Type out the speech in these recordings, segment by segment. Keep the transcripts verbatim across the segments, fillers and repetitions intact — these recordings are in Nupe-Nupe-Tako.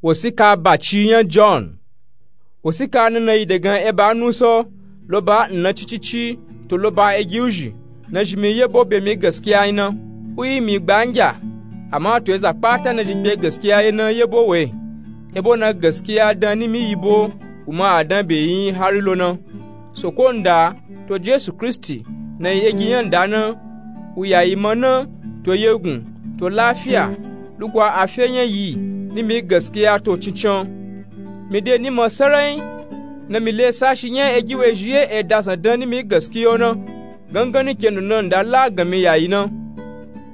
Wosika baci nya john. Wosika nana yi dagan eba nusa loba nna cicici to loba egiwuzhi. Nazhi mi yebo be mi gaskiya ina wuyi mi gbangya. Amma to eza kpata nazhi kpe gaskiya ina yebo we. Ebo na gaskiya dan nimi yibo wuma adan be yin hari lona. Soko nda to jesu kristi na yi egi nya nda na. Wuya yi ma na to yegun to lafiya lugwa afe nya yi nimi gaskiya to cincan. Mi de ni ma sarai na mi le sashi nya egi we zhi ye eda zandan nimi gaskiya na. Gangan ni ke nuna nda la gami yayi na.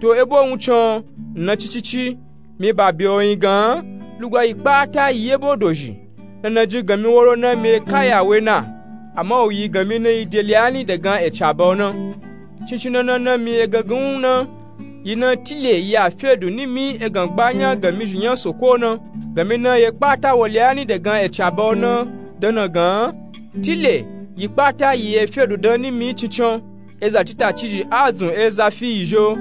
To ebo wucan nna cicici mi ba be oyin gan lugwa yi kpata yi ebo dozhi. Nana jin gami woro na mi kaya we na. Amma wuyi gami na yi deli ani dagan ecaba ona. Cincin nana na mi egangan na yi na tile yi afedu nimi egan gbanya gami zhi nya soko na. Gami na ye kpata woli ani dagan ecaba ona dana gan tile yi kpata yi efedu dan nimi cincan. Eza titacizhi azun eza fi yi zho.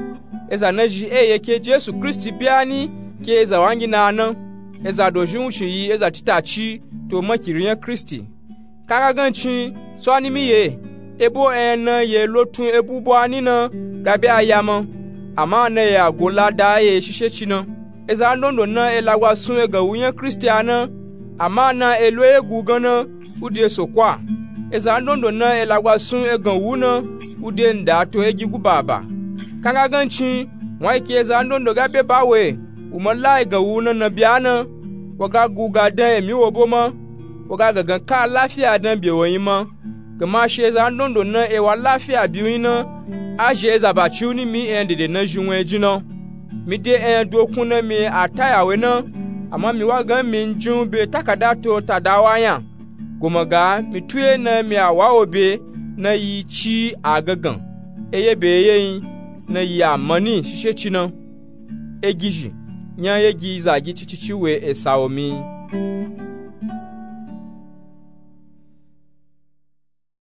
Eza nazhi eye ke jesu kristi biani ke eza wangina na. Eza dozhi wucin yi eza titaci to makiri nya kristi. Kagaganci tswani mi ye ebo enya na ye lotun ebubuani na gabe aya ma. Amma na ye ago lada ye shisheci na. Eza ndondo na elagwa sun egan wu nya kristi a na. Amma na elo egu gan na wude soko a. Eza ndondo na elagwa sun egan wu na wude nda to egi guba ba. Kagaganci won ayi ke eza ndondo gabe ba we wuma la egan wu na na bia na. Waga guga dan emi wobo ma. Waga gangan ka lafiya dan be woyin ma. Gama shi eza ndondo na ewa lafiya biyu yin na. Azhi eza baci wu nimi enya dede nazhi won ejin na. Mi de enya dokun na mi ataya we na. Amma mi wa gan mi njin be takada to tada wa nya. Goma ga mi tuye na mi awa wo be na yi ci agagan eye be eye yin na yi amani shisheci na. Egizhi nya egi zagi cicici we esa wo mi.